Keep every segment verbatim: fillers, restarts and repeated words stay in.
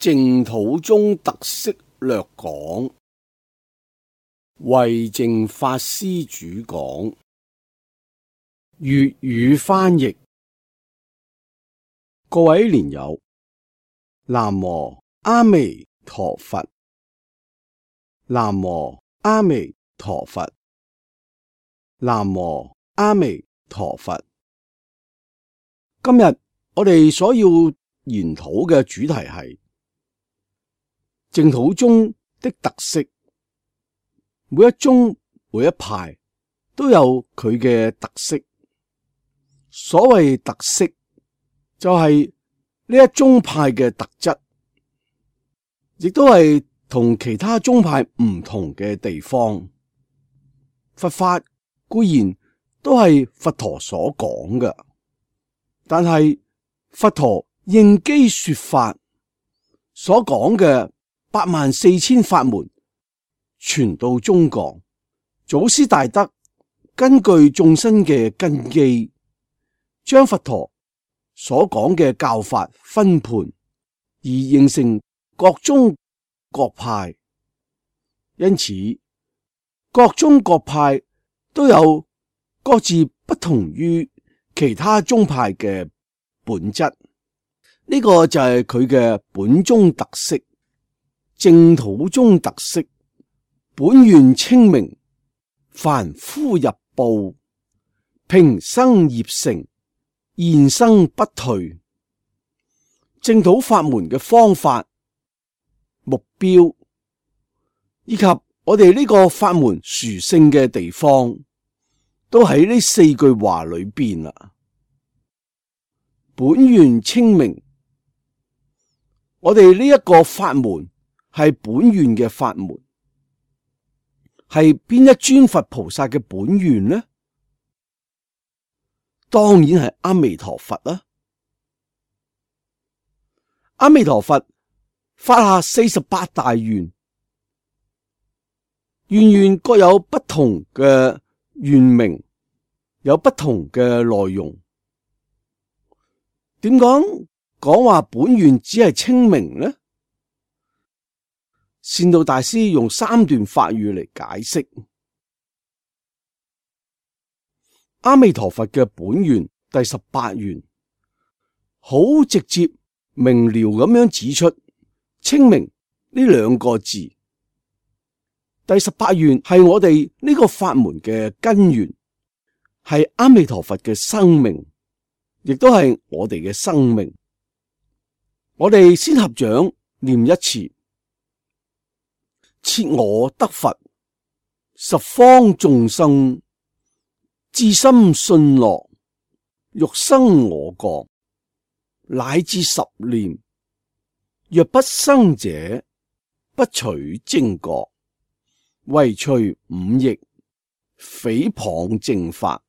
淨土宗特色略講，慧淨法師主講，粵語翻譯。各位蓮友，南無阿彌陀佛，南無阿彌陀佛，南無阿彌陀佛。今日我哋所要研討嘅主題係淨土宗的特色。每一宗每一派都有佢嘅特色。所謂特色，就係呢一宗派嘅特質，亦都係同其他宗派唔同嘅地方。佛法固然都係佛陀所講嘅，但係佛陀應機說法所講嘅八萬四千法門傳到中國，祖師大德根據眾生嘅根基，將佛陀所講嘅教法分盤，而形成各宗各派。因此各宗各派都有各自不同於其他宗派嘅本質，呢個就係佢嘅本宗特色。淨土宗特色，本願清明，凡夫入報，平生業成，現生不退。淨土法門嘅方法、目標，以及我哋呢個法門殊勝嘅地方，都喺呢四句話裏邊啦。本願清明，我哋呢一個法門係本願嘅法門，係邊一尊佛菩薩嘅本願呢？當然係阿彌陀佛啦。阿彌陀佛發下四十八大願，願願各有不同嘅願名，有不同嘅內容。點講講話本願只係清明呢？善導大師用三段法語嚟解釋阿彌陀佛嘅本願第十八願，好直接明了咁樣指出清明呢兩個字。第十八願係我哋呢個法門嘅根源，係阿彌陀佛嘅生命，亦都係我哋嘅生命。我哋先合掌念一次：設我得佛，十方眾生至心信樂，欲生我國，乃至十念，若不生者，不取正覺，唯除五逆，誹謗正法。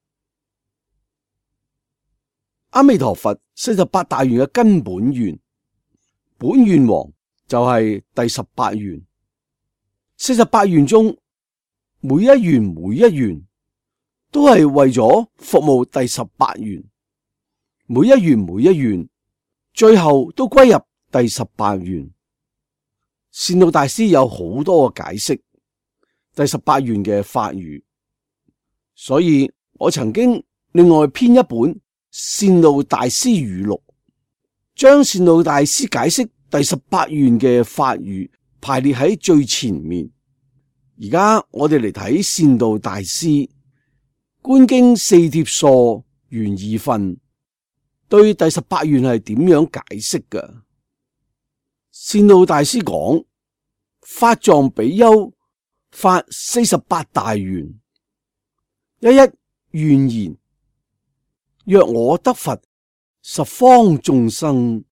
阿彌陀佛四十八大願嘅根本願，本願王就係第十八願。四十八願中，每一願每一願都係為咗服務第十八願，每一願每一願最後都歸入第十八願。善導大師有好多嘅解釋第十八願嘅法語，所以我曾經另外編一本善導大師語錄，將善導大師解釋第十八願嘅法語排列喺最前面。而家我哋嚟睇善導大師觀經四帖疏原二分對第十八願係點樣解釋嘅。善導大師講：法藏比丘發四十八大願，一一願言：若我得佛，十方眾生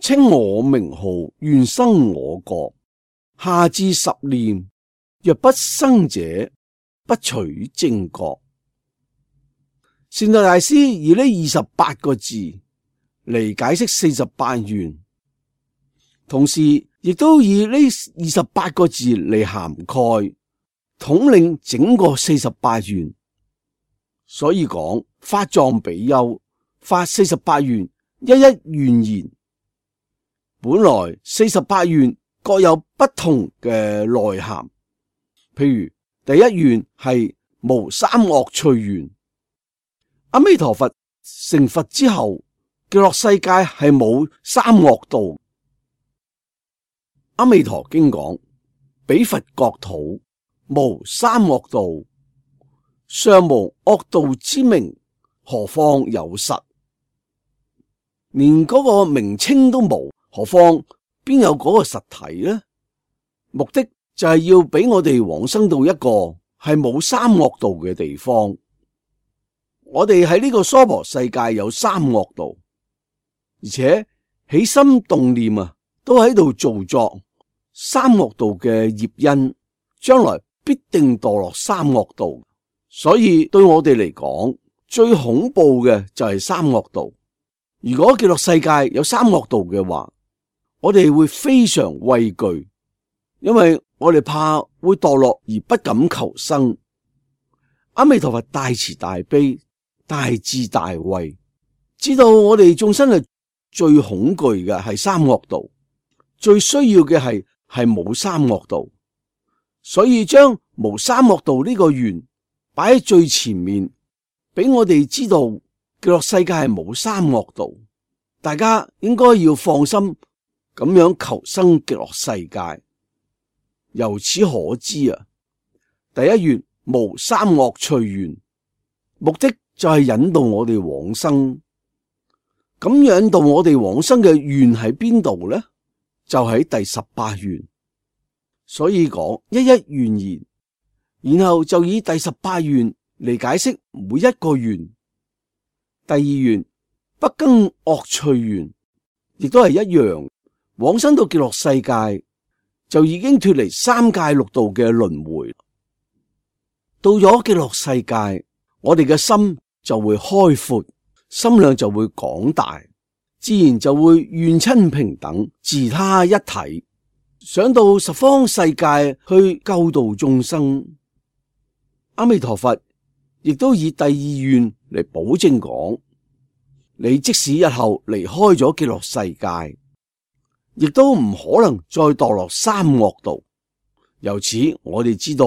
稱我名號，願生我國，下至十念，若不生者，不取正覺。善導大師以呢二十八個字嚟解釋四十八願，同時亦都以呢二十八個字嚟涵蓋統領整個四十八願。所以講法藏比丘發四十八願，一一願言，本來四十八願各有不同嘅內涵，譬如第一願係無三惡趣願。阿彌陀佛成佛之後，極樂世界係冇三惡道。阿彌陀經講，彼佛國土無三惡道，尚無惡道之名，何況有實？連嗰個名稱都冇，何況邊有嗰個實體呢？目的就係要俾我哋往生到一個係冇三惡道嘅地方。我哋喺呢個娑婆世界有三惡道，而且起心動念啊，都喺度造作三惡道嘅業因，將來必定墮落三惡道。所以對我哋嚟講，最恐怖嘅就係三惡道。如果極樂世界有三惡道嘅話，我哋會非常畏懼，因為我哋怕會墮落而不敢求生。阿彌陀佛大慈大悲，大智大慧，知道我哋眾生係最恐懼嘅係三惡道，最需要嘅係係冇三惡道，所以將無三惡道呢個願擺喺最前面，俾我哋知道極樂世界係冇三惡道，大家應該要放心咁樣求生極樂世界。由此可知啊，第一願無三惡趣願，目的就係引導我哋往生。咁引導我哋往生嘅願喺邊度呢？就喺第十八願。所以講一一願言，然後就以第十八願嚟解釋每一個願。第二願不更惡趣願，亦都係一樣，往生到極樂世界就已經脫離三界六道嘅輪迴。到咗極樂世界，我哋嘅心就會開闊，心量就會廣大，自然就會願親平等，自他一體，想到十方世界去救度眾生。阿彌陀佛亦都以第二願嚟保證講，你即使日後離開咗極樂世界，亦都唔可能再墮落三惡道。由此我哋知道，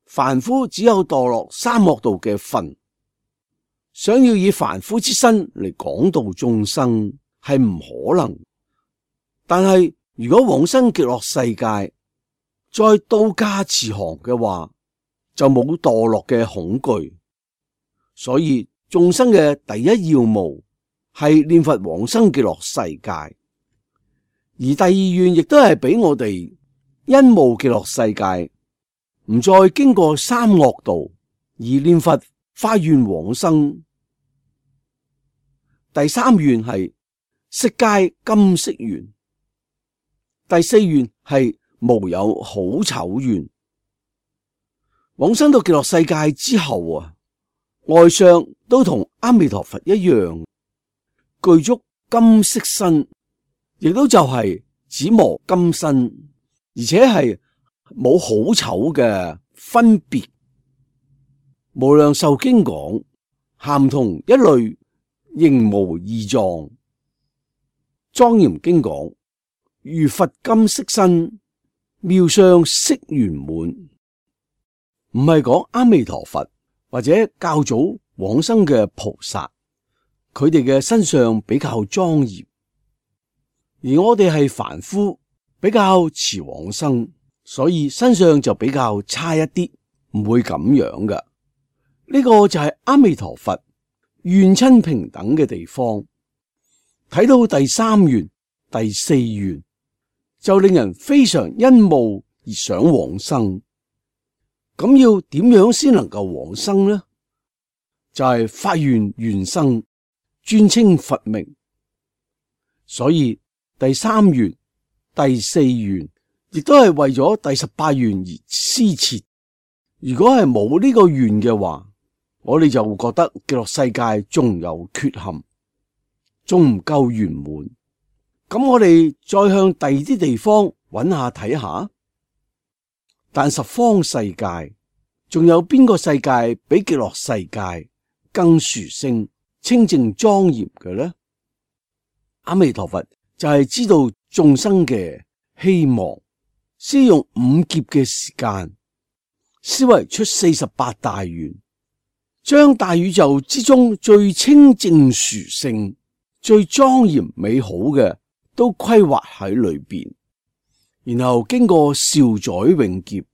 凡夫只有墮落三惡道嘅份。想要以凡夫之身嚟廣度眾生係唔可能，但係如果往生極樂世界，再到家持行嘅話，就冇墮落嘅恐懼。所以眾生嘅第一要務係念佛往生極樂世界，而第二願亦都係俾我哋因慕極樂世界，唔再經過三惡道而念佛發願往生。第三願係色界金色願，第四願係無有好醜願。往生到極樂世界之後啊，外相都同阿彌陀佛一樣，具足金色身，亦都就係紫磨金身，而且係冇好醜嘅分別。無量壽經講，咸同一類，形無異狀。莊嚴經講，如佛金色身，妙相色圓滿。唔係講阿彌陀佛或者較早往生嘅菩薩，佢哋嘅身上比較莊嚴，而我哋係凡夫，比較遲往生，所以身上就比較差一啲，唔會咁樣㗎。呢個就係阿彌陀佛願親平等嘅地方。睇到第三願、第四願，就令人非常欣慕而想往生。咁要點樣先能夠往生呢？就係發願願生，專稱佛名。所以第三願、第四願亦都係為咗第十八願而施設。如果係冇呢個願嘅話，我哋就會覺得極樂世界仲有缺陷，仲唔夠圓滿。咁我哋再向第二啲地方揾下睇下。但十方世界仲有邊個世界比極樂世界更殊勝、清淨莊嚴嘅呢？阿彌陀佛就係知道眾生嘅希望，先用五劫嘅時間，思維出四十八大願，將大宇宙之中最清淨殊勝、最莊嚴美好嘅都規劃喺裏邊，然後經過兆載永劫，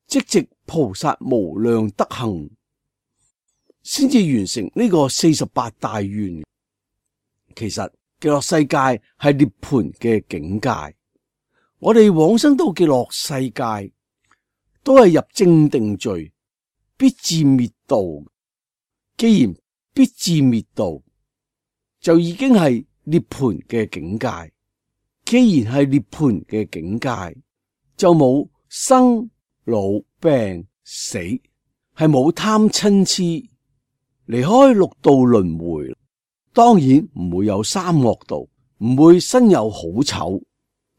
積植菩薩無量德行，先至完成呢個四十八大願。其實極樂世界係涅槃嘅境界，我哋往生到極樂世界都係入正定聚，必至滅道。既然必至滅道，就已經係涅槃嘅境界。既然係涅槃嘅境界，就冇生老病死，係冇貪嗔痴，離開六道輪迴。當然唔會有三惡道，唔會身有好醜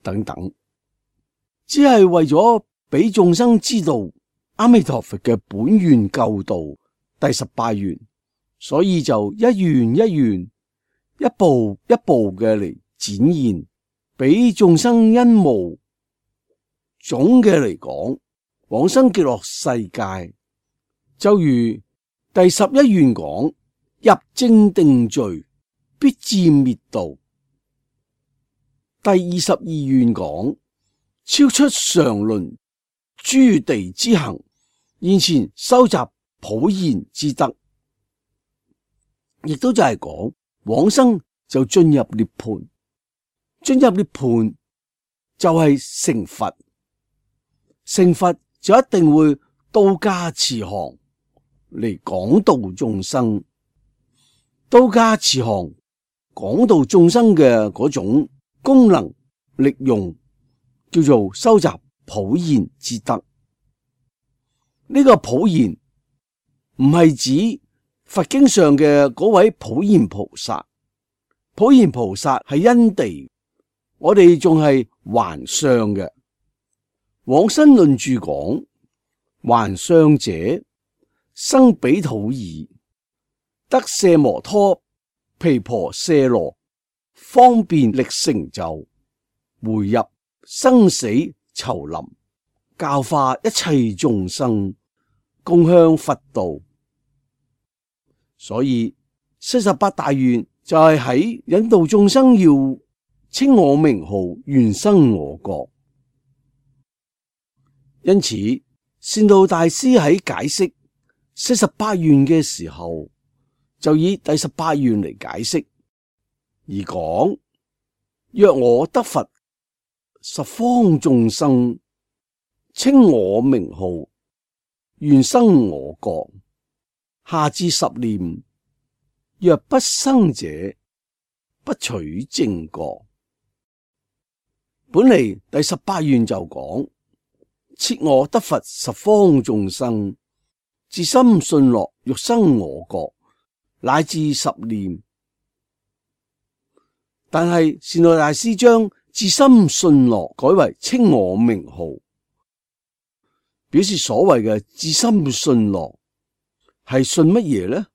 等等，只係為咗俾眾生知道阿彌陀佛嘅本願救度第十八願，所以就一願一願，一步一步嘅嚟展現，俾眾生欣慕。總嘅嚟講，往生極樂世界就如第十一願講，入正定聚，必至滅道。第二十二願講，超出常倫諸地之行，現前收集普賢之德，亦都就係講往生就進入涅槃，進入涅槃就係成佛，成佛就一定會到家慈航嚟廣度眾生。到家慈航廣度眾生嘅嗰種功能力用，叫做收集普賢之德。呢個普賢唔係指佛經上嘅嗰位普賢菩薩，普賢菩薩係因地，我哋仲係還相嘅。往生論著講，還相者生彼土耳，得舍摩拖毗婆舍羅，方便力成就，回入生死叢林，教化一切眾生，共向佛道。所以四十八大願就係喺引導眾生要稱我名號，願生我國。因此善導大師喺解釋四十八願嘅時候，就以第十八願嚟解釋，而講若我得佛，十方眾生稱我名號，願生我國。下至十念，若不生者，不取正覺。本嚟第十八願就講，設我得佛，十方眾生至心信樂，欲生我國，乃至十念。但係善導大師將至心信樂改為稱我名號，表示所謂嘅至心信樂係信乜嘢呢？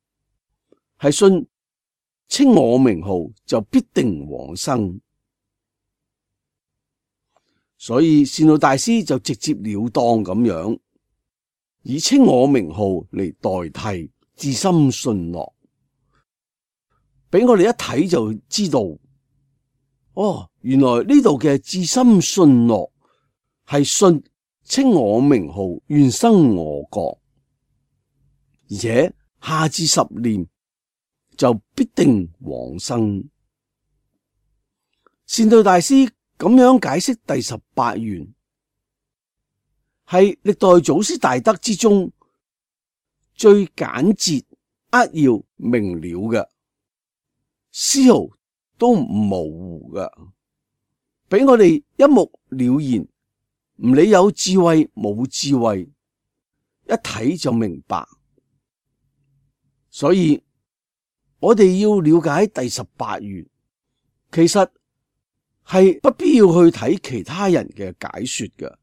係信稱我名號就必定往生。所以善導大師就直接了當咁樣以稱我名號嚟代替至心信樂，俾我哋一睇就知道，哦，原來呢度嘅至心信樂係信稱我名號，願生我國。而且下至十念就必定往生。善導大師咁樣解釋第十八願，係歷代祖師大德之中最簡潔、扼要、明了嘅，絲毫都唔模糊嘅，俾我哋一目了然，唔理有智慧冇智慧，一睇就明白。所以我哋要了解第十八願，其實係不必要去睇其他人嘅解說嘅，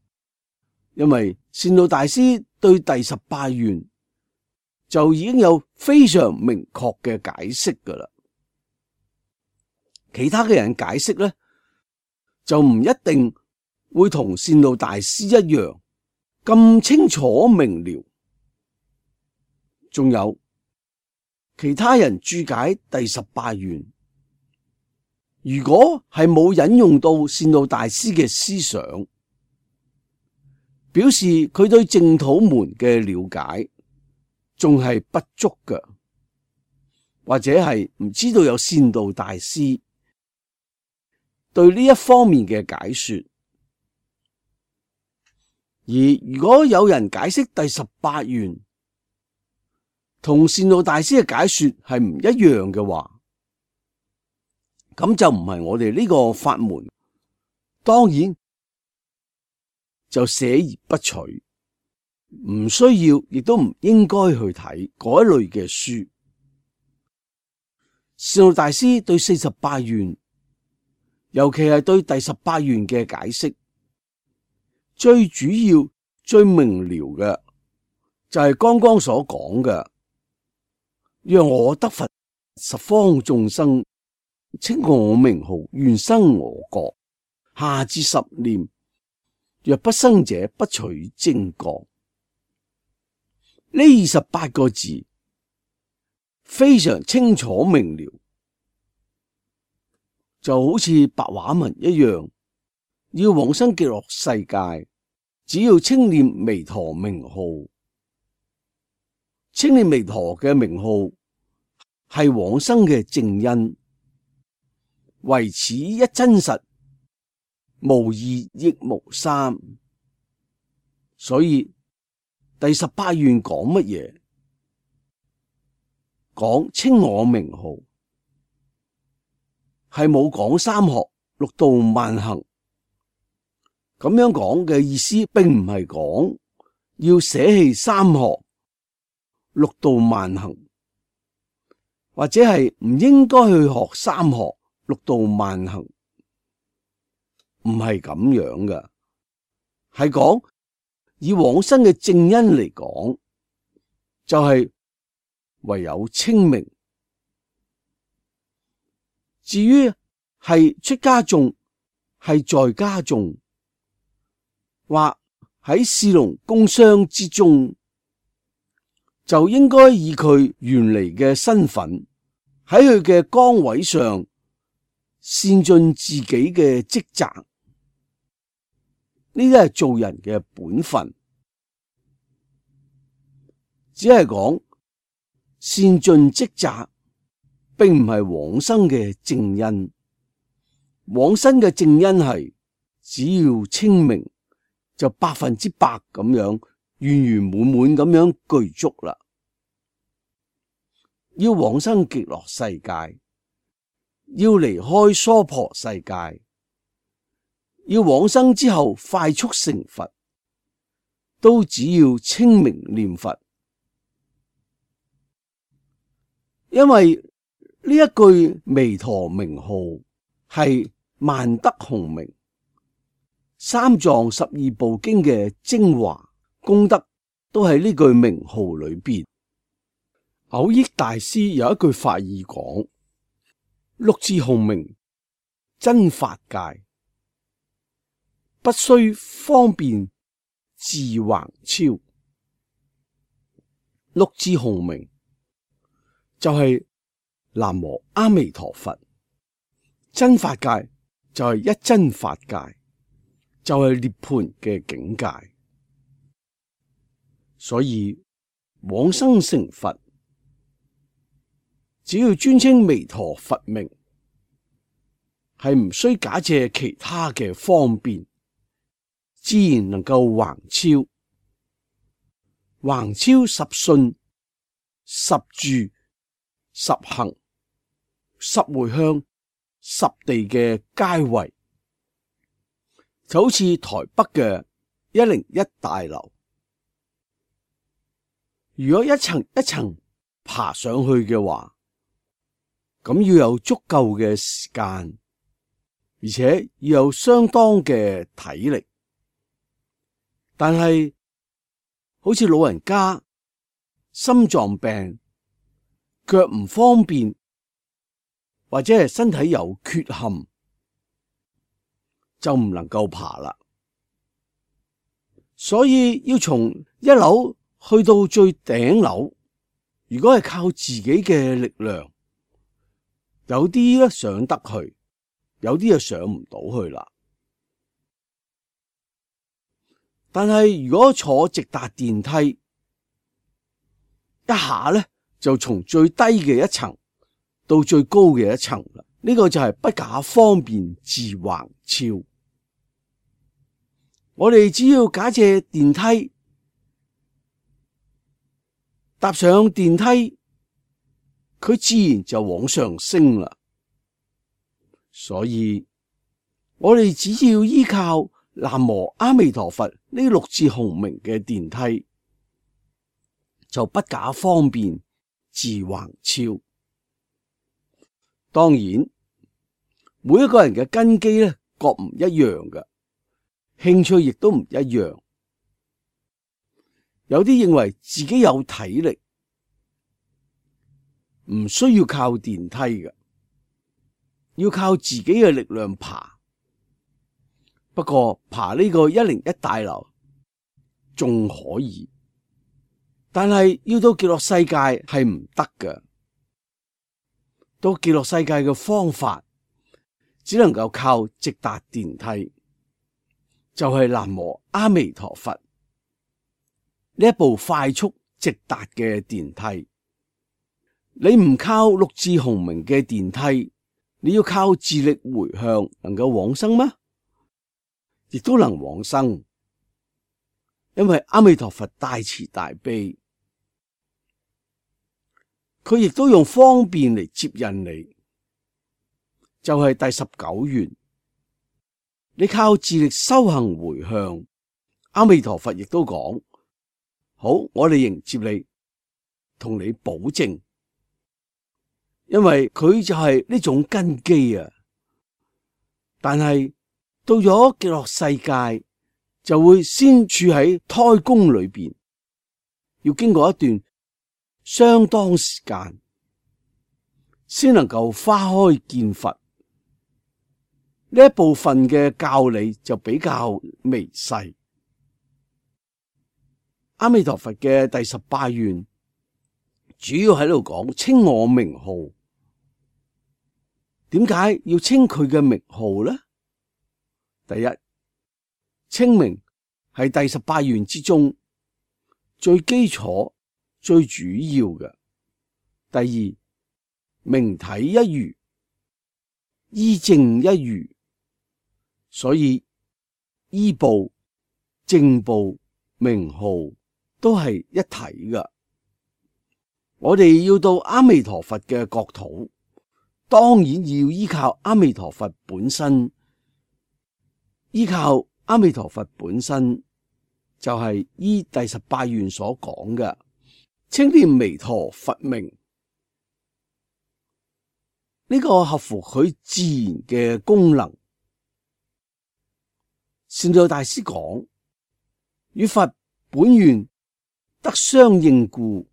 因為善導大師對第十八願就已經有非常明確嘅解釋噶啦。其他嘅人解釋咧，就唔一定會同善導大師一樣咁清楚明了。仲有其他人注解第十八願，如果係冇引用到善導大師嘅思想，表示佢對淨土門嘅了解仲係不足嘅，或者係唔知道有善導大師對呢一方面嘅解說。而如果有人解釋第十八願同善導大師嘅解說係唔一樣嘅話，咁就唔係我哋呢個法門，當然就捨而不取，唔需要亦都唔應該去睇嗰一類嘅書。善導大師對四十八願，尤其係對第十八願嘅解釋，最主要最明了嘅就係剛剛所講嘅，讓我得佛，十方眾生稱我名號，願生我國，下至十念，若不生者，不取正覺。呢二十八個字非常清楚明了，就好似白話文一樣。要往生極樂世界，只要稱念彌陀名號，稱念彌陀嘅名號係往生嘅正因，唯此一真實，無二亦無三。所以第十八願講乜嘢？講稱我名號，係冇講三學六度萬行。咁樣講嘅意思，並唔係講要捨棄三學六度萬行，或者係唔應該去學三學六度萬行，唔係咁樣嘅。係講以往生嘅正因嚟講，就係、是、唯有稱名。至於係出家眾，係在家眾，或喺士農工商之中，就應該以佢原嚟嘅身份，喺佢嘅崗位上善盡自己嘅職責。呢啲係做人嘅本分，只係講善盡職責，並唔係往生嘅正因。往生嘅正因係只要稱名，就百分之百咁樣圓圓滿滿咁樣具足啦。要往生極樂世界，要離開娑婆世界，要往生之後快速成佛，都只要稱名念佛。因為呢一句彌陀名號係萬德洪名，三藏十二部經嘅精華功德都喺呢句名號裏邊。蕅益大師有一句法義講：六字洪名真法界，不須方便自橫超。六字洪名就係南無阿彌陀佛，真法界就係一真法界，就係涅槃嘅境界。所以往生成佛，只要專稱彌陀佛名，係唔需假借其他嘅方便，自然能夠橫超。橫超十信、十住、十行、十回向、十地嘅階位，就好似台北嘅一零一大樓。如果一層一層爬上去嘅話，咁要有足夠嘅時間，而且要有相當嘅體力。但係好似老人家心臟病、腳唔方便，或者係身體有缺陷，就唔能夠爬啦。所以要從一樓去到最頂樓，如果係靠自己嘅力量，有啲咧上得去，有啲就上唔到去啦。但係如果坐直達電梯，一下咧就從最低嘅一層到最高嘅一層啦。呢個就係不假方便自橫超。我哋只要假借電梯，搭上電梯，佢自然就往上升啦。所以我哋只要依靠南無阿彌陀佛呢六字洪名嘅電梯，就不假方便自橫超。當然，每一個人嘅根基咧各唔一樣嘅，興趣亦都唔一樣。有啲認為自己有體力，唔需要靠電梯嘅，要靠自己嘅力量爬。不過爬呢個一零一大樓仲可以，但係要到極樂世界係唔得嘅。到極樂世界嘅方法只能夠靠直達電梯，就係南無阿彌陀佛呢一部快速直達嘅電梯。你唔靠六字洪名嘅電梯，你要靠自力回向能夠往生嗎？亦都能往生，因為阿彌陀佛大慈大悲，佢亦都用方便嚟接引你，就係第十九願。你靠自力修行回向，阿彌陀佛亦都講好，我哋迎接你，同你保證，因為佢就係呢種根基啊。但係到咗極樂世界，就會先處喺胎宮裏邊，要經過一段相當時間，先能夠花開見佛。呢一部分嘅教理就比較微細。阿彌陀佛嘅第十八願主要喺度講稱我名號。點解要稱佢嘅名號呢？第一，稱名係第十八願之中最基礎、最主要嘅。第二，名體一如，依正一如，所以依報、正報、名號都係一體嘅。我哋要到阿彌陀佛嘅國土，當然要依靠阿彌陀佛本身。依靠阿彌陀佛本身，就係依第十八願所講嘅，稱念彌陀佛名。呢個合乎佢自然嘅功能。善導大師講，與佛本願得相應故，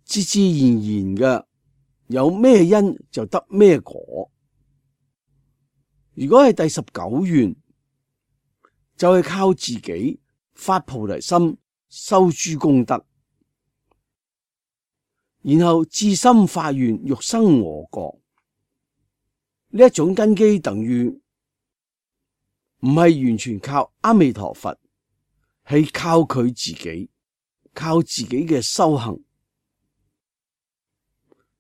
自自然然嘅，有咩因就得咩果。如果係第十九願，就係靠自己發菩提心，修諸功德，然後至心發願欲生我國。呢一種根基等於唔係完全靠阿彌陀佛，係靠佢自己，靠自己嘅修行，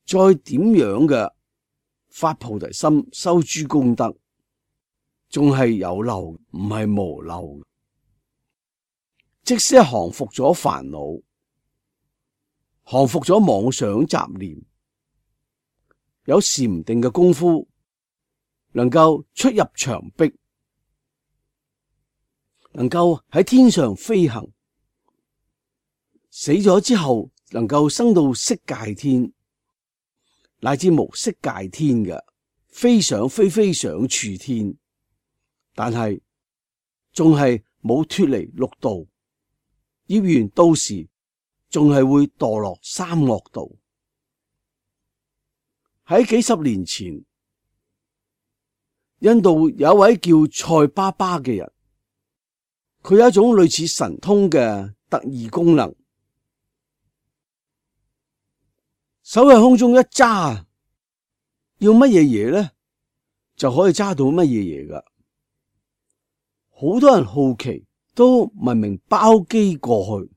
再點樣嘅發菩提心，修諸功德，仲係有漏，唔係無漏。即使降伏咗煩惱，降伏咗妄想雜念，有禪定嘅功夫，能夠出入牆壁，能夠喺天上飛行，死咗之後能夠生到色界天，乃至無色界天嘅，飛上飛飛上處天。但係仲係冇脫離六道，業緣到時仲係會墮落三惡道。喺幾十年前，印度有一位叫塞巴巴嘅人，佢有一種類似神通嘅特異功能，手喺空中一揸，要乜嘢嘢咧，就可以揸到乜嘢嘢噶。好多人好奇，都聞名包機過去。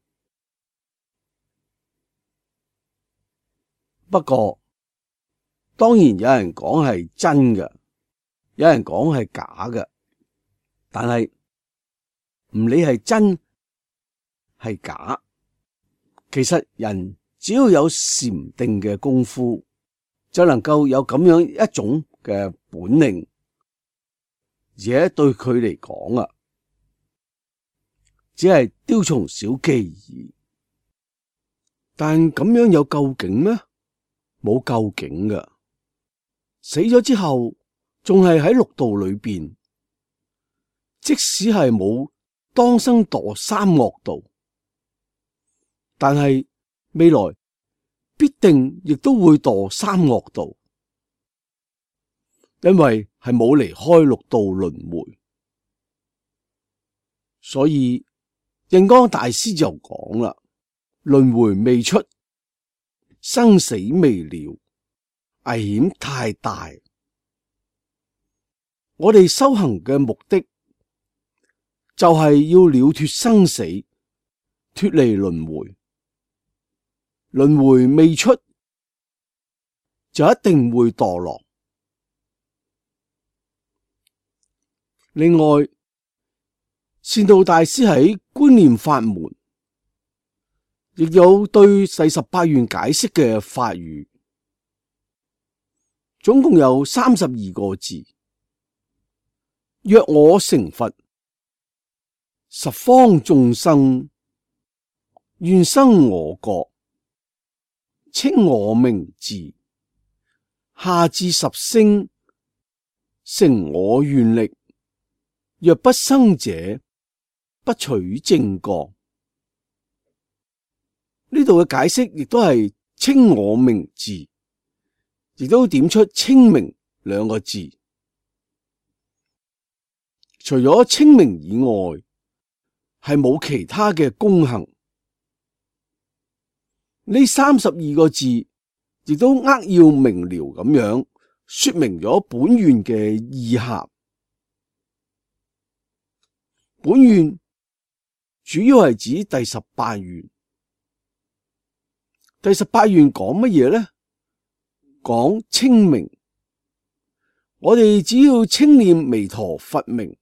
不過，當然有人講係真嘅，有人講係假嘅。但係唔理係真係假，其實人只要有禪定嘅功夫，就能夠有咁樣一種嘅本領，而且對佢嚟講啊，只係雕蟲小技而已。但咁樣有究竟咩？冇究竟㗎，死咗之後仲係喺六道裏邊，即使係冇當生墮三惡道，但係未來必定亦都會墮三惡道，因為係冇離開六道輪迴。所以印光大師就講啦，輪迴未出，生死未了，危險太大。我哋修行嘅目的就係要了脫生死，脫離輪迴。輪迴未出，就一定會墮落。另外，善導大師喺觀念法門亦有對第十八願解釋嘅法語，總共有三十二個字。若我成佛，十方眾生願生我國，稱我名字，下至十聲，成我願力。若不生者，不取正覺。呢度嘅解釋亦都係稱我名字，亦都點出稱名兩個字。除咗稱名以外，係冇其他嘅功行。呢三十二個字亦都扼要明了咁樣說明咗本願嘅意涵。本願主要係指第十八願。第十八願講乜嘢呢？講稱名。我哋只要稱念彌陀佛名，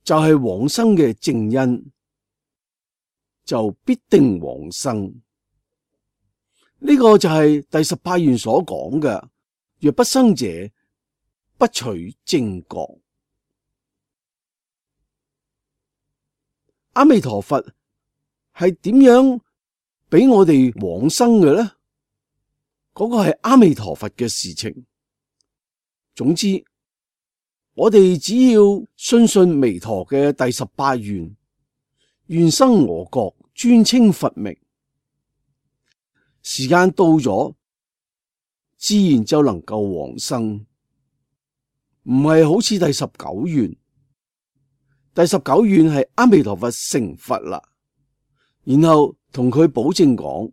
就係往生嘅正因，就必定往生。呢個就係第十八願所講嘅，若不生者，不取正覺。阿彌陀佛係點樣俾我哋往生嘅呢？嗰個係阿彌陀佛嘅事情。總之，我哋只要信信彌陀嘅第十八願，願生我國，專稱佛名，時間到咗，自然就能夠往生。唔係好似第十九願。第十九願係阿彌陀佛成佛啦，然後同佢保證講：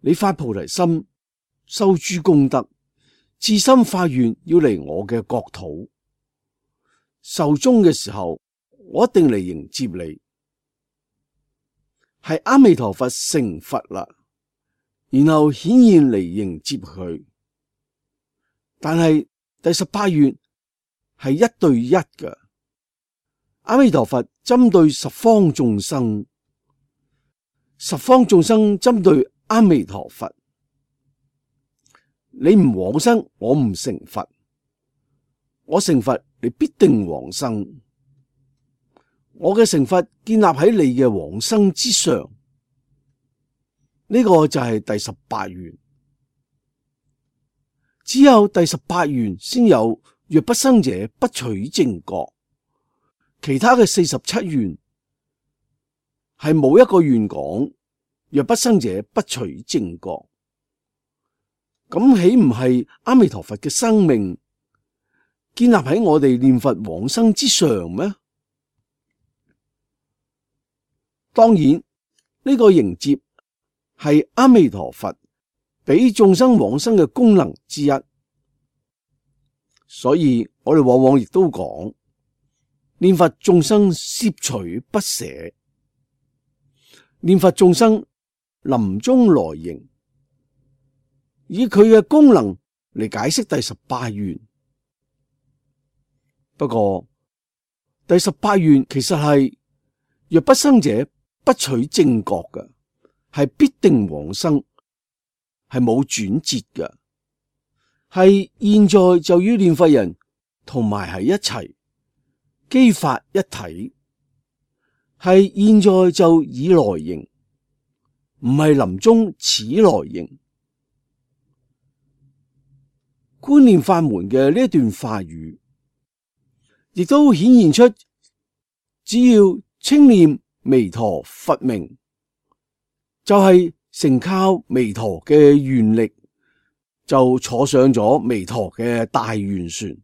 你發菩提心，修諸功德，至心發願要嚟我嘅國土，壽終嘅時候，我一定嚟迎接你。係阿彌陀佛成佛啦，然後顯現嚟迎接佢。但係第十八願係一對一嘅。阿彌陀佛針對十方眾生，十方眾生針對阿彌陀佛。你唔往生，我唔成佛；我成佛，你必定往生。我嘅成佛建立喺你嘅往生之上，呢個就係第十八願。只有第十八願先有若不生者，不取正覺。其他嘅四十七願係冇一個願講若不生者，不取正覺。咁豈唔係阿彌陀佛嘅生命建立喺我哋念佛往生之上咩？當然，呢個迎接係阿彌陀佛俾眾生往生嘅功能之一，所以我哋往往亦都講念佛眾生攝取不捨，念佛眾生臨終來迎，以佢嘅功能嚟解釋第十八願。不過第十八願其實係若不生者不取正覺嘅，係必定往生，係冇轉折嘅，係現在就與念佛人同埋喺一齊，機法一體，係現在就已來迎，唔係臨終始來迎。觀念法門嘅呢一段話語，亦都顯現出只要稱念彌陀佛名，就係、是、成靠彌陀嘅願力，就坐上咗彌陀嘅大願船。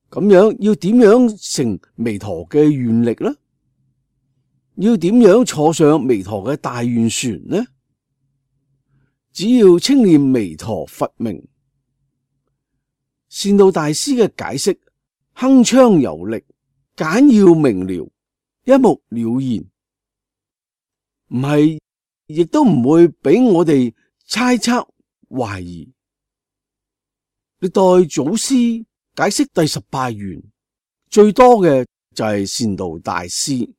咁樣要點樣成彌陀嘅願力呢？要點樣坐上彌陀嘅大願船呢？只要稱念彌陀佛名。善導大師嘅解釋鏗鏘有力，簡要明了，一目了然，唔係亦都唔會俾我哋猜測懷疑。歷代祖師解釋第十八願最多嘅就係善導大師，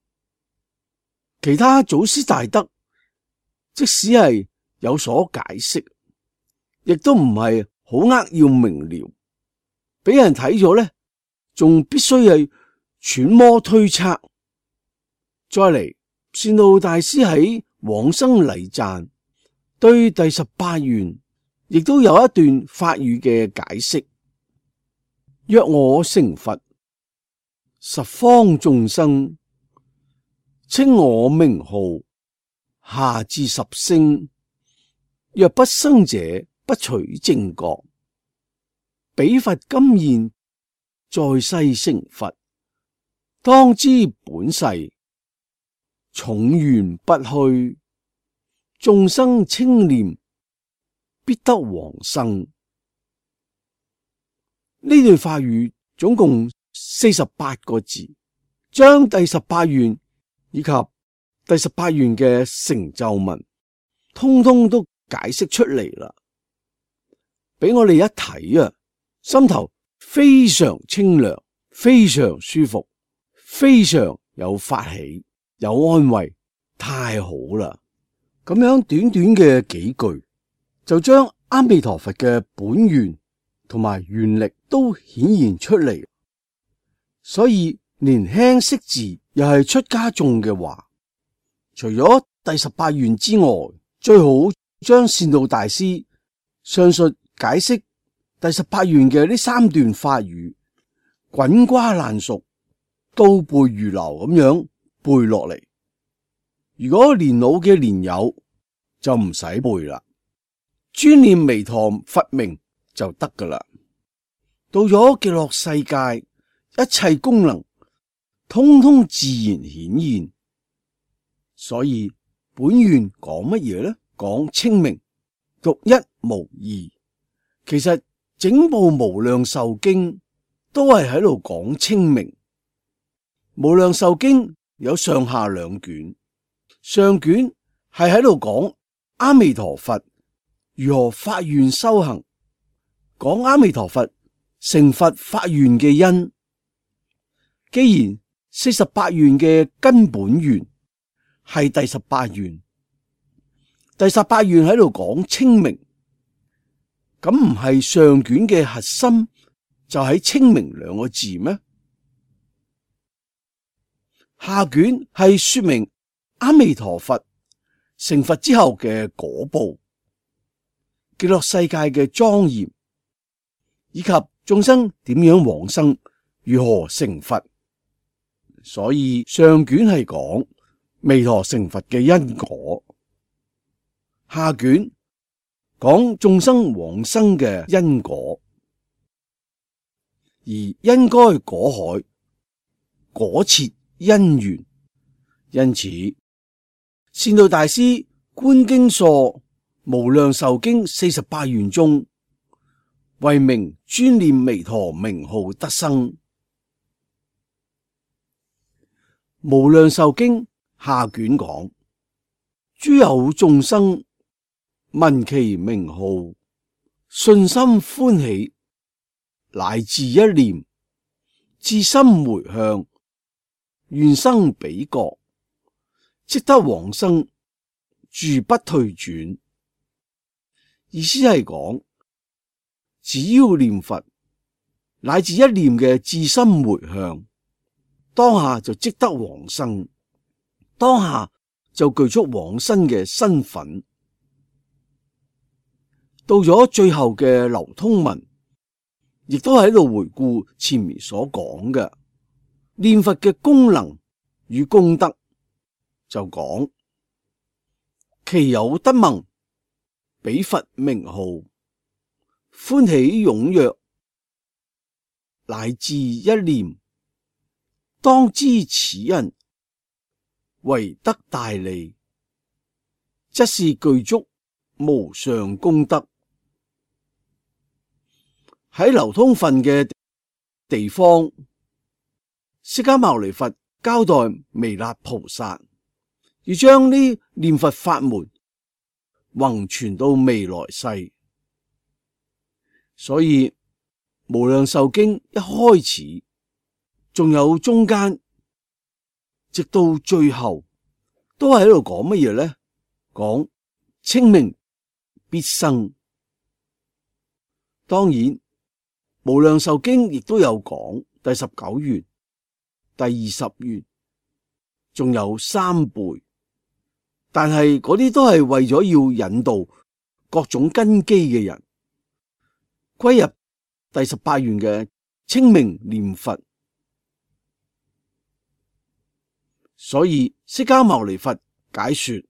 其他祖師大德即使係有所解釋，亦都唔係好扼要明了，俾人睇咗咧，仲必須係揣摩推測。再嚟，善導大師喺往生禮讚對第十八願亦都有一段法語嘅解釋：若我成佛，十方眾生稱我名號，下至十聲，若不生者不取正覺。彼佛今現在世成佛，當知本誓重願不虛，眾生稱念必得往生。呢段法語總共四十八個字，將第十八願以及第十八願嘅成就文通通都解釋出嚟啦，俾我哋一睇啊，心頭非常清涼，非常舒服，非常有法喜，有安慰，太好啦！咁樣短短嘅幾句，就將阿彌陀佛嘅本願同埋願力都顯現出嚟。所以年輕識字又係出家眾嘅話，除咗第十八願之外，最好將善導大師上述解釋第十八願嘅呢三段法語滾瓜爛熟，倒背如流咁樣背落嚟。如果年老嘅年友就唔使背啦，專念彌陀佛名就得噶啦。到咗極樂世界，一切功能通通自然顯現。所以本願講乜嘢呢？講清明，獨一無二。其實整部無量壽經都係喺度講清明。無量壽經有上下兩卷，上卷係喺度講阿彌陀佛如何發願修行，講阿彌陀佛成佛發願嘅因。既然四十八願嘅根本願係第十八願，第十八願喺度講清明，咁唔係上卷嘅核心就喺清明兩個字咩？下卷係說明阿彌陀佛成佛之後嘅果報，極樂世界嘅莊嚴，以及眾生點樣往生，如何成佛。所以上卷係講彌陀成佛嘅因果，下卷講眾生往生嘅因果。而應該果海，果切因緣。因此，善導大師觀經疏無量壽經四十八願中，為名專念彌陀名號得生。無量壽經下卷講，諸有眾生聞其名號，信心歡喜，乃至一念，至心回向，願生彼國，即得往生，住不退轉。意思係講，只要念佛，乃至一念嘅至心回向，當下就即得往生，當下就具足往生嘅身份。到咗最後嘅流通文，亦都喺度回顧前面所講嘅念佛嘅功能與功德，就講其有得聞彼佛名號，歡喜踴躍，乃至一念，當知此人為得大利，則是具足無上功德。喺流通分嘅地方，釋迦牟尼佛交代彌勒菩薩要將呢念佛法門弘傳到未來世，所以無量壽經一開始，仲有中間，直到最後，都係喺度講乜嘢呢？講稱名必生。當然，無量壽經亦都有講第十九願、第二十願，仲有三輩，但係嗰啲都係為咗要引導各種根基嘅人歸入第十八願嘅稱名念佛。所以釋迦牟尼佛解說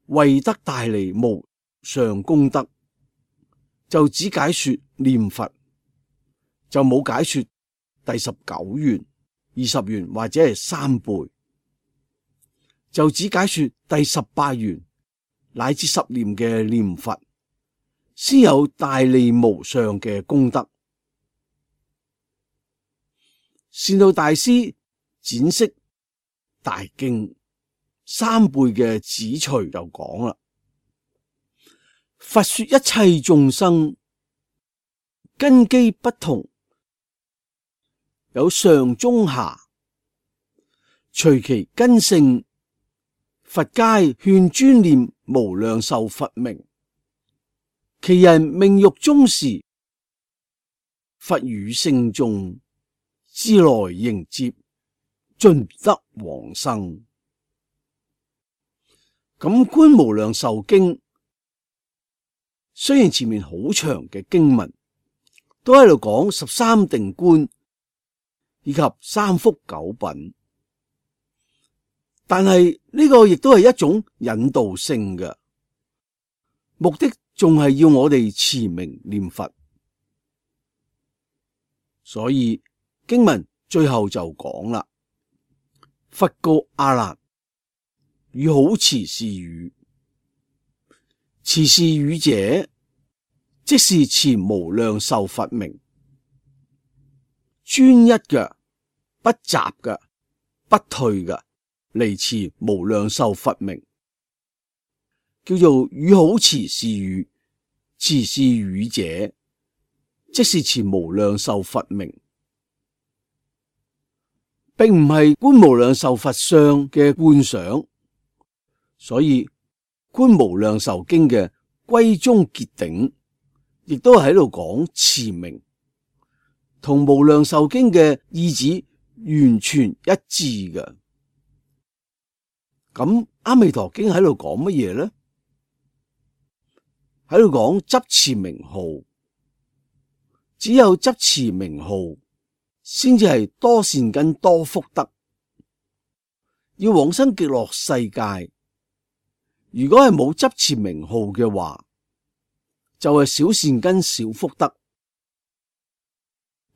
為得大利無上功德，就只解說念佛，就冇解說第十九願、二十願或者係三輩，就只解說第十八願乃至十念嘅念佛，先有大利無上嘅功德。善導大師展釋大經三輩嘅旨趣就講啦，佛說一切眾生根基不同，有上中下，隨其根性，佛皆勸專念無量壽佛名。其人命欲終時，佛與聖眾自來迎接，盡得往生。咁觀無量壽經，雖然前面好長嘅經文都喺度講十三定觀以及三福九品，但係呢個亦都係一種引導性嘅目的，仲係要我哋持名念佛。所以經文最後就講啦，佛告阿難：汝好持是語，持是語者，即是持無量壽佛名，專一嘅、不雜嘅、不退嘅嚟持無量壽佛名，叫做汝好持是語。持是語者，即是持無量壽佛名，並唔係觀無量壽佛相嘅觀想。所以觀無量壽經嘅歸宗結頂，亦都係喺度講持名，同無量壽經嘅意旨完全一致嘅。咁阿彌陀經喺度講乜嘢呢？喺度講執持名號，只有執持名號，先至係多善根多福德。要往生極樂世界，如果係冇執持名號嘅話，就係、是、小善根小福德。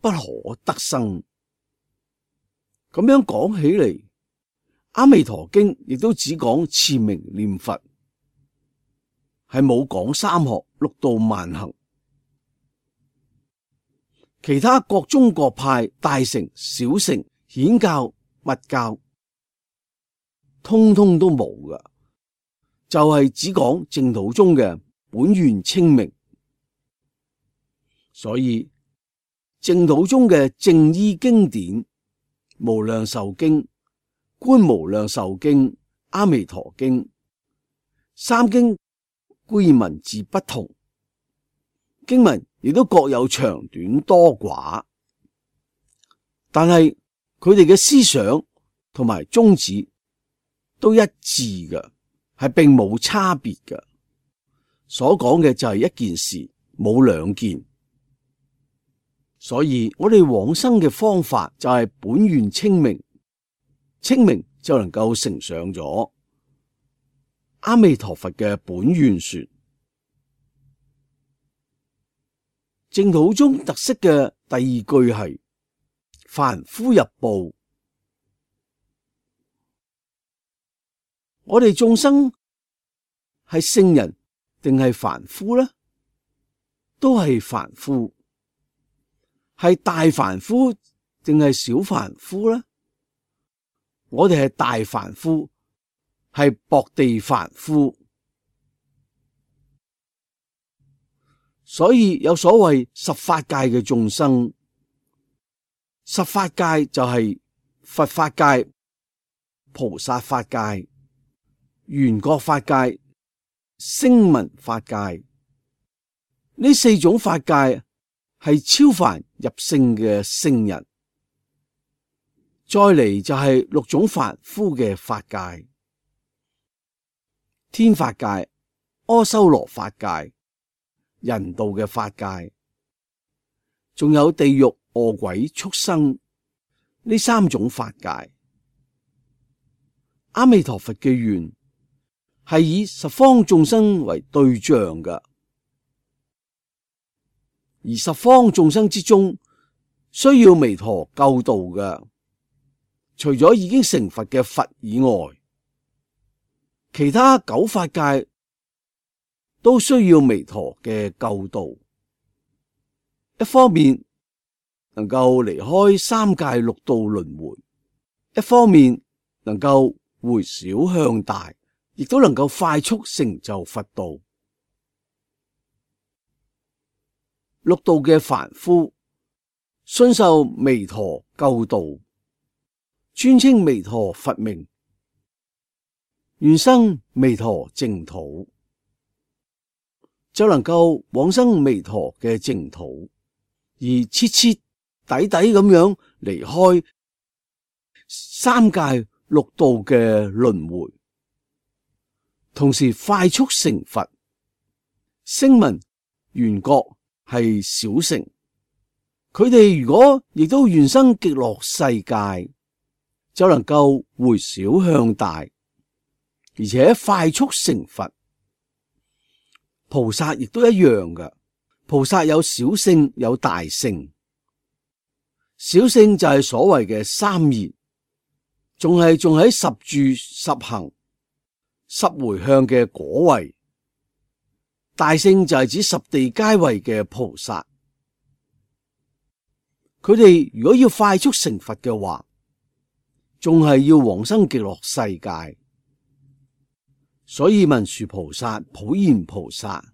不可得生。咁樣講起嚟，《阿彌陀經》亦都只講持名念佛，係冇講三學六度萬行。其他各宗各派大乘小乘顯教密教，通通都冇㗎，就係只講淨土宗嘅本願清明。所以淨土宗嘅正依經典、無量壽經、觀無量壽經、阿彌陀經三經固然文字不同，經文亦都各有長短多寡，但係佢哋嘅思想同埋宗旨都一致嘅，係並冇差別嘅。所講嘅就係一件事，冇兩件。所以我哋往生嘅方法就係本願清明，清明就能夠乘上咗阿彌陀佛嘅本願說。淨土宗特色嘅第二句係凡夫入報。我哋眾生係聖人定係凡夫呢？都係凡夫。係大凡夫定係小凡夫呢？我哋係大凡夫，係薄地凡夫。所以有所謂十法界嘅眾生，十法界就係佛法界、菩薩法界、緣覺法界、聲聞法界，呢四種法界係超凡入聖嘅聖人。再嚟就係六種凡夫嘅法界：天法界、阿修羅法界、人道嘅法界，仲有地獄、餓鬼、畜生呢三種法界。阿彌陀佛嘅願係以十方眾生為對象嘅，而十方眾生之中需要彌陀救度嘅，除咗已經成佛嘅佛以外，其他九法界都需要彌陀嘅救度。一方面能夠離開三界六道輪迴，一方面能夠回小向大，亦都能夠快速成就佛道。六道嘅凡夫信受彌陀救度，尊稱彌陀佛名，願生彌陀淨土，就能夠往生彌陀嘅淨土，而徹徹底底咁樣離開三界六道嘅輪迴，同時快速成佛。聲聞緣覺係小乘，佢哋如果亦都願生極樂世界，就能夠回小向大，而且快速成佛。菩薩亦都一樣嘅，菩薩有小乘有大乘，小乘就係所謂嘅三言，仲係仲喺十住十行十回向嘅果位。大乘就係指十地階位嘅菩薩，佢哋如果要快速成佛嘅話，仲係要往生極樂世界。所以文殊菩薩、普賢菩薩，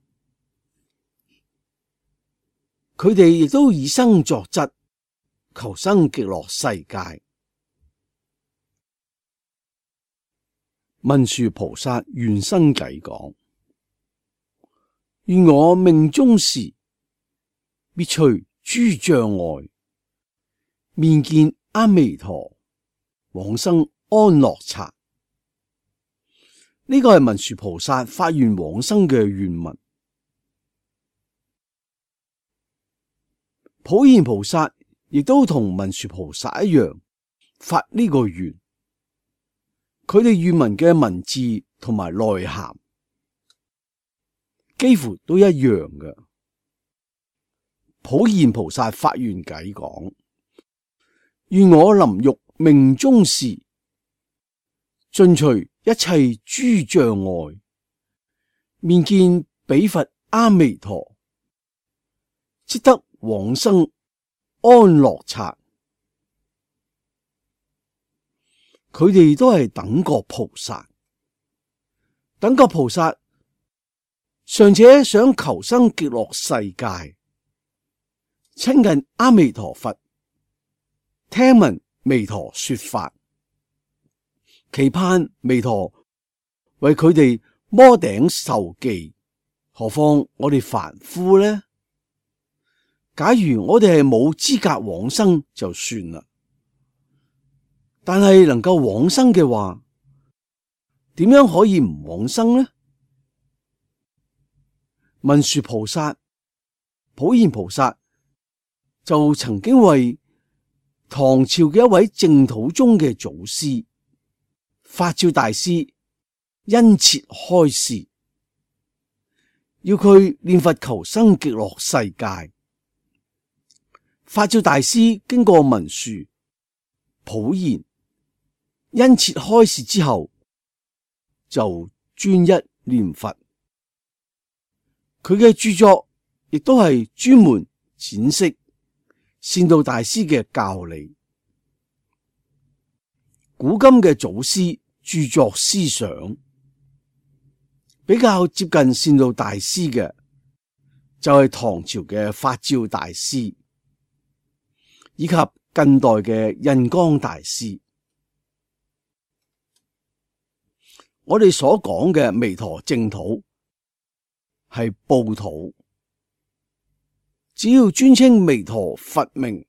佢哋亦都以身作則，求生極樂世界。文殊菩薩願生偈講：願我命終時，滅除諸障礙，面見阿彌陀，往生安樂剎。呢個係文殊菩薩發願往生嘅願文。普賢菩薩亦都同文殊菩薩一樣發呢個願，佢哋願文嘅文字同埋內涵幾乎都一樣嘅。普賢菩薩發願偈講：願我臨欲命終時，盡除一切諸障礙，面見彼佛阿彌陀，即得往生安樂剎。佢哋都係等覺菩薩，等覺菩薩尚且想求生極樂世界，親近阿彌陀佛，聽聞彌陀說法，期盼彌陀為佢哋摩頂授記。何況我哋凡夫呢？假如我哋係冇資格往生就算啦，但係能夠往生嘅話，點樣可以唔往生呢？文殊菩薩、普賢菩薩就曾經為唐朝嘅一位淨土宗嘅祖師法照大師殷切開示，要佢念佛求生極樂世界。法照大師經過文殊、普賢殷切開示之後，就專一念佛。佢嘅著作亦都係專門闡釋善導大師嘅教理。古今嘅祖師著作思想比較接近善導大師嘅，就係唐朝嘅法照大師，以及近代嘅印光大師。我哋所講嘅彌陀淨土係報土，只要尊稱彌陀佛名，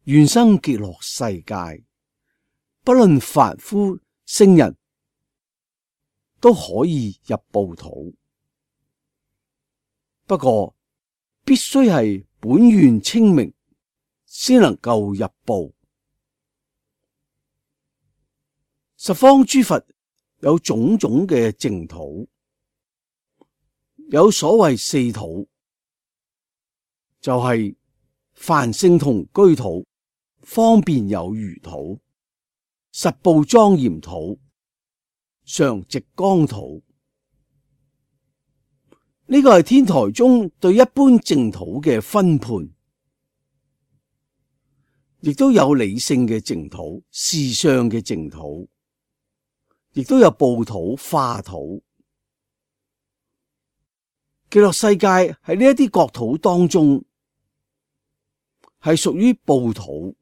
願生極樂世界，不論凡夫聖人都可以入報土。不過必須係本願清明，先能夠入報。十方諸佛有種種嘅淨土，有所謂四土，就係、是、梵聖同居土、方便有餘土、實報莊嚴土、常寂光土。呢個係天台宗對一般淨土嘅分判，亦都有理性嘅淨土、事相嘅淨土，亦都有報土、化土。極樂世界喺呢一啲國土當中係屬於報土，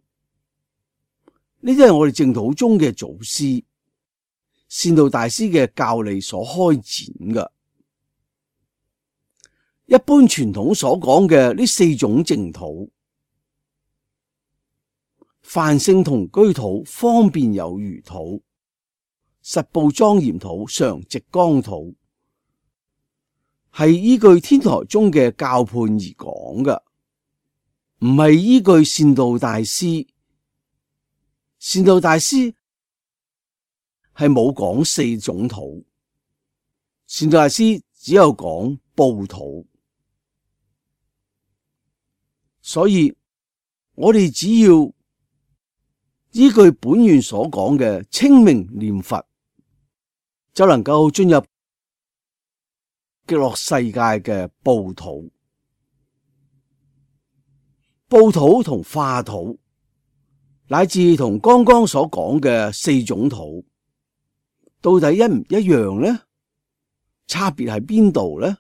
呢啲係我哋淨土宗嘅祖師善導大師嘅教理所開展嘅。一般傳統所講嘅呢四種淨土，梵聖同居土、方便有餘土、實報莊嚴土、常寂光土，係依據天台宗嘅教判而講嘅，唔係依據善導大師。善導大師係冇講四種土，善導大師只有講報土。所以我哋只要依據本願所講嘅清明念佛，就能夠進入極樂世界嘅報土。報土同化土，乃至同剛剛所講嘅四種土，到底一唔一樣呢？差別喺邊度呢？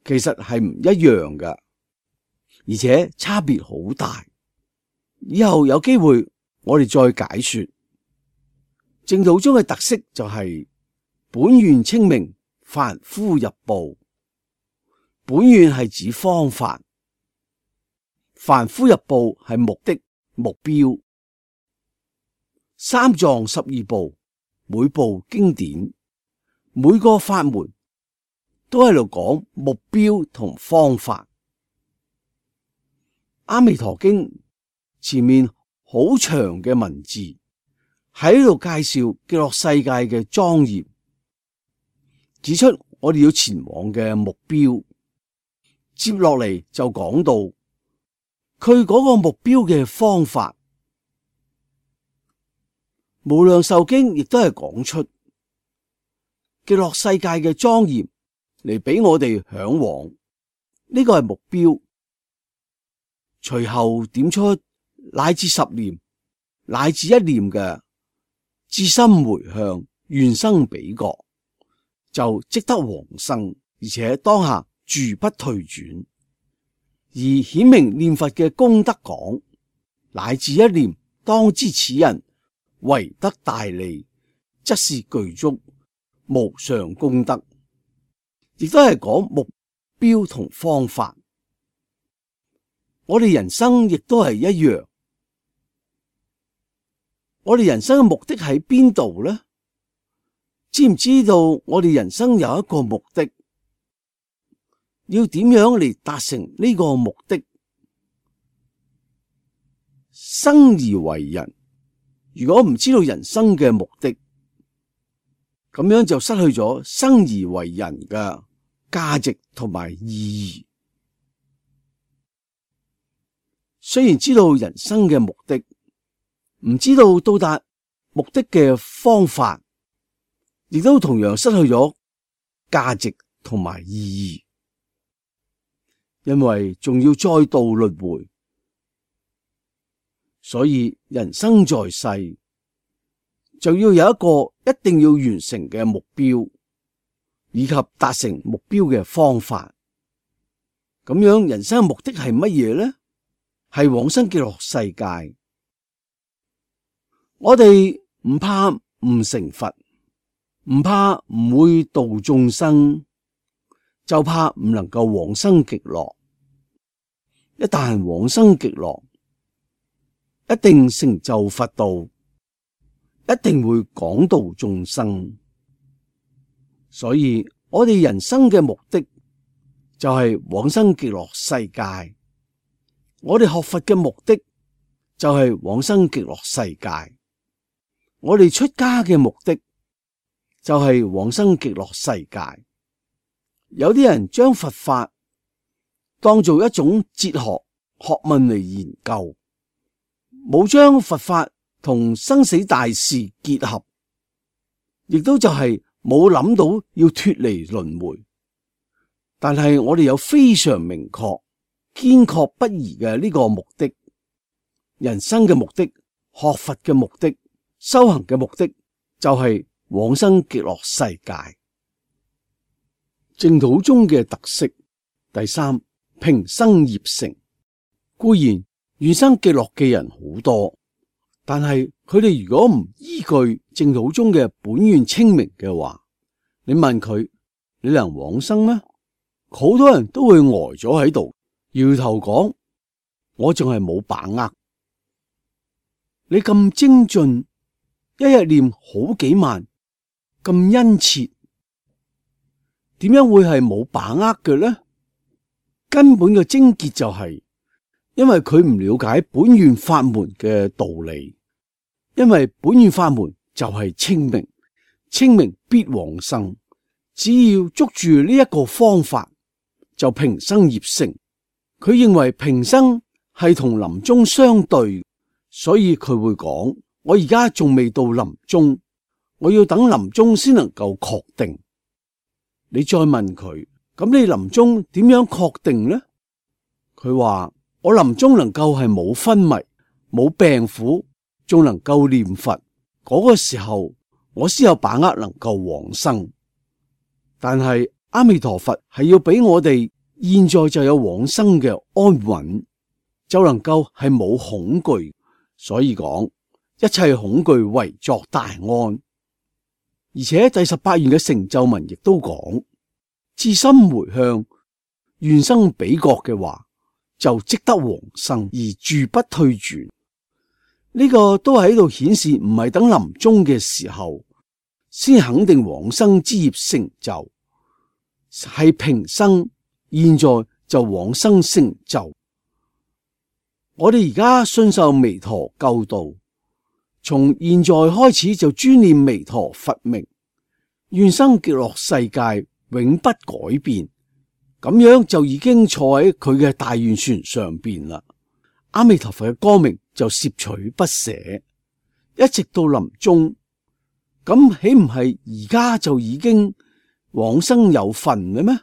其實係唔一樣㗎，而且差別好大。以後有機會我哋再解說。淨土宗嘅特色就係本願清明，凡夫入報。本願係指方法，凡夫入報係目的目標。三藏十二部每部經典，每個法門都喺度講目標同方法。阿彌陀經前面好長嘅文字喺度介紹極樂世界嘅莊嚴，指出我哋要前往嘅目標，接落嚟就講到佢嗰個目標嘅方法。無量壽經亦都係講出極樂世界嘅莊嚴嚟俾我哋向往，呢個係目標。隨後點出乃至十念乃至一念嘅至心回向願生彼國，就即得往生，而且當下住不退轉。而顯明念佛嘅功德講，乃至一念當知此人為得大利，則是具足無上功德，亦都係講目標同方法。我哋人生亦都係一樣，我哋人生嘅目的喺邊度呢？知唔知道我哋人生有一個目的？要點樣嚟達成呢個目的？生而為人，如果唔知道人生嘅目的，咁樣就失去咗生而為人嘅價值同埋意義。雖然知道人生嘅目的，唔知道到達目的嘅方法，亦都同樣失去咗價值同埋意義。因為仲要再度輪迴，所以人生在世就要有一個一定要完成嘅目標，以及達成目標嘅方法。咁樣人生嘅目的係乜嘢呢？係往生極樂世界。我哋唔怕唔成佛，唔怕唔會度眾生，就怕唔能夠往生極樂。一旦往生極樂，一定成就佛道，一定會廣度眾生。所以我哋人生嘅目的就係往生極樂世界。我哋學佛嘅目的就係往生極樂世界。我哋出家嘅目的就係往生極樂世界。有啲人將佛法當做一種哲學學問嚟研究，冇將佛法同生死大事結合，亦都就係冇諗到要脫離輪迴。但係我哋有非常明確、堅確不移嘅呢個目的，人生嘅目的、學佛嘅目的、修行嘅目的，就係往生極樂世界。淨土宗嘅特色，第三，平生業成。固然願生極樂嘅人好多，但係佢哋如果唔依據淨土宗嘅本願清明嘅話，你問佢，你能往生咩？好多人都會呆咗喺度，搖頭講，我仲係冇把握。你咁精進，一日念好幾萬，咁殷切，點樣會係冇把握嘅呢？根本嘅症結就係因為佢唔了解本願法門嘅道理。因為本願法門就係清明，清明必往生。只要捉住呢一個方法，就平生業成。佢認為平生係同臨終相對，所以佢會講，我而家仲未到臨終，我要等臨終先能夠確定。你再問佢，咁你臨終點樣確定呢？佢話，我臨終能夠係冇昏迷、冇病苦，仲能夠念佛，嗰個時候我先有把握能夠往生。但係阿彌陀佛係要俾我哋現在就有往生嘅安穩，就能夠係冇恐懼。所以講，一切恐懼為作大安。而且第十八願嘅成就文亦都講，至心回向願生彼國嘅話，就即得往生而住不退轉。呢個都係喺度顯示，唔係等臨終嘅時候先肯定往生之業成就，係平生現在就往生成就。我哋而家信受彌陀救度，從現在開始就專念彌陀佛名，願生極樂世界永不改變，咁樣就已經坐喺佢嘅大願船上邊啦。阿彌陀佛嘅光明就攝取不捨，一直到臨終。咁豈唔係而家就已經往生有份嘅咩？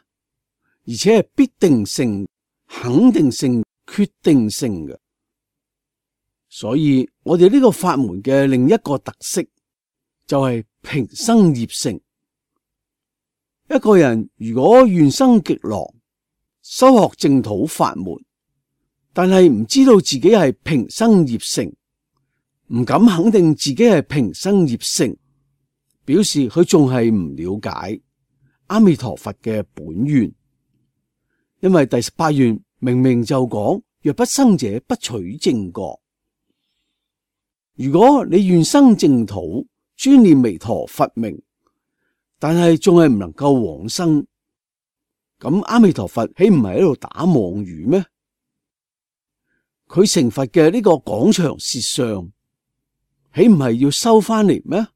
而且係必定性、肯定性、決定性嘅。所以我哋呢個法門嘅另一個特色就係平生業成。一個人如果願生極樂，修學淨土法門，但係唔知道自己係平生業成，唔敢肯定自己係平生業成，表示佢仲係唔了解阿彌陀佛嘅本願。因為第十八願明明就講，若不生者不取正覺。如果你願生淨土，專念彌陀佛名，但係仲係唔能夠往生，咁阿彌陀佛豈唔係喺度打妄語咩？佢成佛嘅呢個廣長舌相，豈唔係要收翻嚟咩？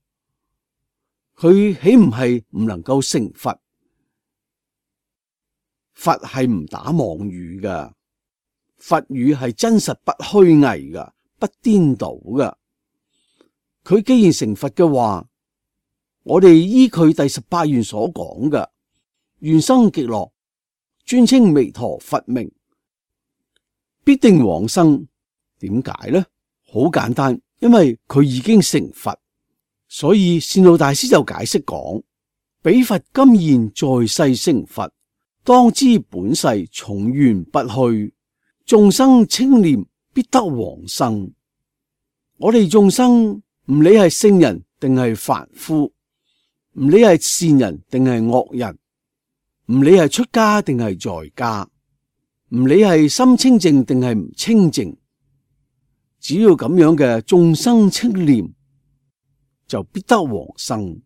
佢豈唔係唔能夠成佛？佛係唔打妄語噶，佛語係真實不虛偽噶，不顛倒噶。佢既然成佛嘅話，我哋依佢第十八願所講嘅，願生極樂，專稱彌陀佛名，必定往生。點解呢？好簡單，因為佢已經成佛，所以善導大師就解釋講：彼佛今現在世成佛，當知本世重緣不去，眾生稱念必得往生。我哋眾生唔理係聖人定係凡夫，唔理係善人定係惡人，唔理係出家定係在家，唔理係心清淨定係唔清淨，只要咁樣嘅眾生稱念，就必得往生。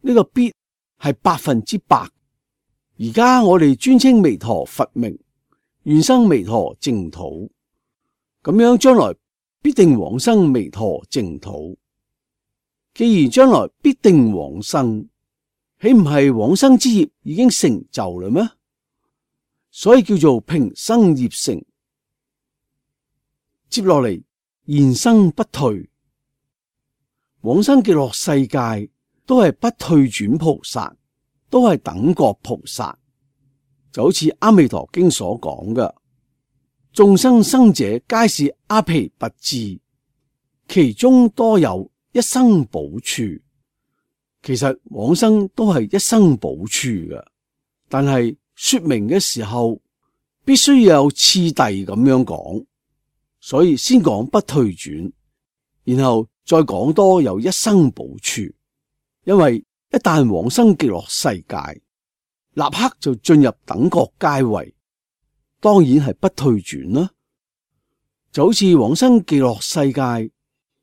呢個必係百分之百。而家我哋專稱彌陀佛名，願生彌陀淨土，咁樣將來必定往生彌陀淨土。既然將來必定往生，豈唔係往生之業已經成就啦咩？所以叫做平生業成。接落嚟，現生不退，往生極樂世界都係不退轉菩薩，都係等覺菩薩。就好似阿彌陀經所講嘅，眾生生者皆是阿鞞跋致，其中多有一生補處。其實往生都係一生補處嘅，但係說明嘅時候必須要有次第咁樣講，所以先講不退轉，然後再講多有一生補處。因為一旦往生極樂世界，立刻就進入等覺階位，當然係不退轉啦。就好似往生極樂世界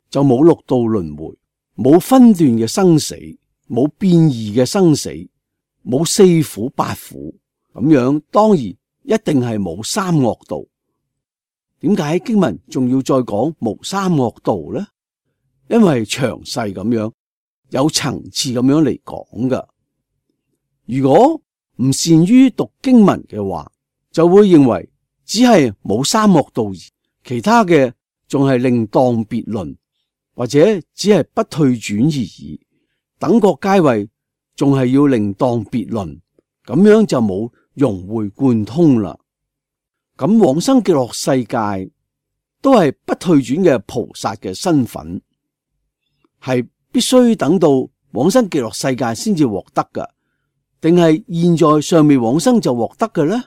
就冇六道輪迴，冇分段嘅生死，冇變異嘅生死，冇四苦八苦咁樣，當然一定係冇三惡道。點解經文仲要再講無三惡道呢？因為詳細咁樣有層次咁樣嚟講噶。如果唔善於讀經文嘅話，就會認為只係冇三惡道，其他嘅仲係另當別論，或者只係不退轉而已。等覺階位仲係要另當別論，咁樣就冇融會貫通啦。咁往生極樂世界都係不退轉嘅菩薩嘅身份，係必須等到往生極樂世界先至獲得噶。定係現在尚未往生就獲得嘅呢？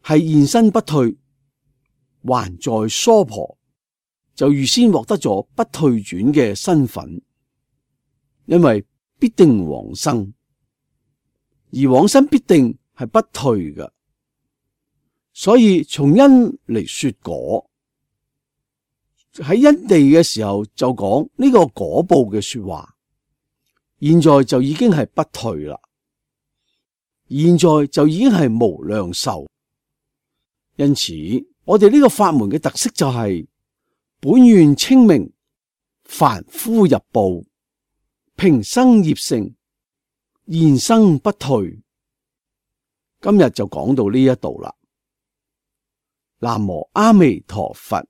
係現身不退，還在娑婆就預先獲得咗不退轉嘅身份，因為必定往生，而往生必定係不退嘅。所以從因嚟說果，喺因地嘅時候就講呢個果報嘅說話。現在就已經係不退啦，現在就已經係無量壽。因此，我哋呢個法門嘅特色就係本願清明，凡夫入報，平生業成，現生不退。今日就講到呢一度啦。南無阿彌陀佛。